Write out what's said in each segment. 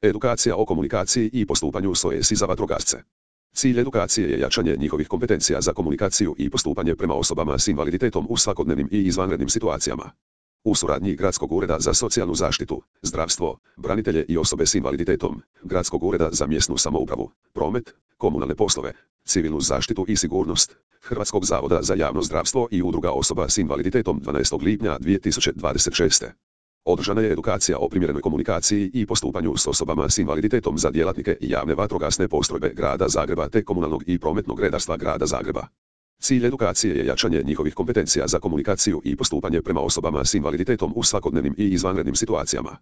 Edukacija o komunikaciji i postupanju SOS za vatrogasce. Cilj edukacije je jačanje njihovih kompetencija za komunikaciju i postupanje prema osobama s invaliditetom u svakodnevnim i izvanrednim situacijama. U suradnji Gradskog ureda za socijalnu zaštitu, zdravstvo, branitelje i osobe s invaliditetom, Gradskog ureda za mjesnu samoupravu, promet, komunalne poslove, civilnu zaštitu i sigurnost, Hrvatskog zavoda za javno zdravstvo i udruga osoba s invaliditetom 12. lipnja 2026. Održana je edukacija o primjerenoj komunikaciji i postupanju s osobama s invaliditetom za djelatnike i javne vatrogasne postrojbe Grada Zagreba te komunalnog i prometnog redarstva Grada Zagreba. Cilj edukacije je jačanje njihovih kompetencija za komunikaciju i postupanje prema osobama s invaliditetom u svakodnevnim i izvanrednim situacijama.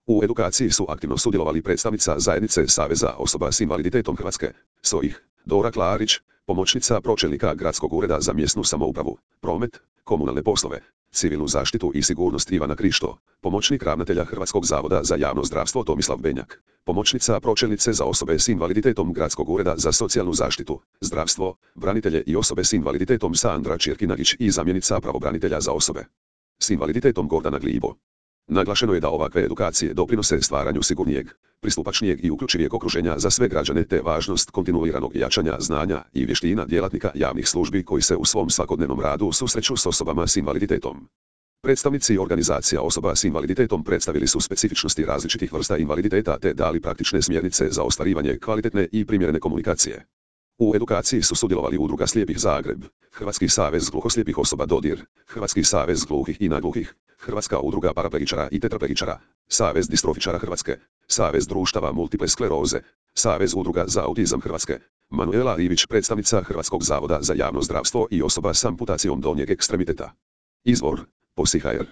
U edukaciji su aktivno sudjelovali predstavnica zajednice Saveza osoba s invaliditetom Hrvatske, SOIH, Dora Klarić, pomoćnica pročelnika Gradskog ureda za mjesnu samoupravu, promet, komunalne poslove, civilnu zaštitu i sigurnost Ivana Krišto, pomoćnik ravnatelja Hrvatskog zavoda za javno zdravstvo Tomislav Benjak, pomoćnica pročelnice za osobe s invaliditetom Gradskog ureda za socijalnu zaštitu, zdravstvo, branitelje i osobe s invaliditetom Sandra Čirkinagić i zamjenica pravobranitelja za osobe s invaliditetom Gordana Glibo. Naglašeno je da ovakve edukacije doprinose stvaranju sigurnijeg, pristupačnijeg i uključivijeg okruženja za sve građane te važnost kontinuiranog jačanja znanja i vještina djelatnika javnih službi koji se u svom svakodnevnom radu susreću s osobama s invaliditetom. Predstavnici organizacija osoba s invaliditetom predstavili su specifičnosti različitih vrsta invaliditeta te dali praktične smjernice za ostvarivanje kvalitetne i primjerene komunikacije. U edukaciji su sudjelovali Udruga slijepih Zagreb, Hrvatski savez gluhoslijepih osoba Dodir, Hrvatski savez gluhih i nagluhih, Hrvatska udruga paraplegičara i tetraplegičara, Savez distrofičara Hrvatske, Savez društava multiple skleroze, Savez udruga za autizam Hrvatske, Manuela Ivić, predstavnica Hrvatskog zavoda za javno zdravstvo i osoba s amputacijom donjeg ekstremiteta. Izvor: POSI.hr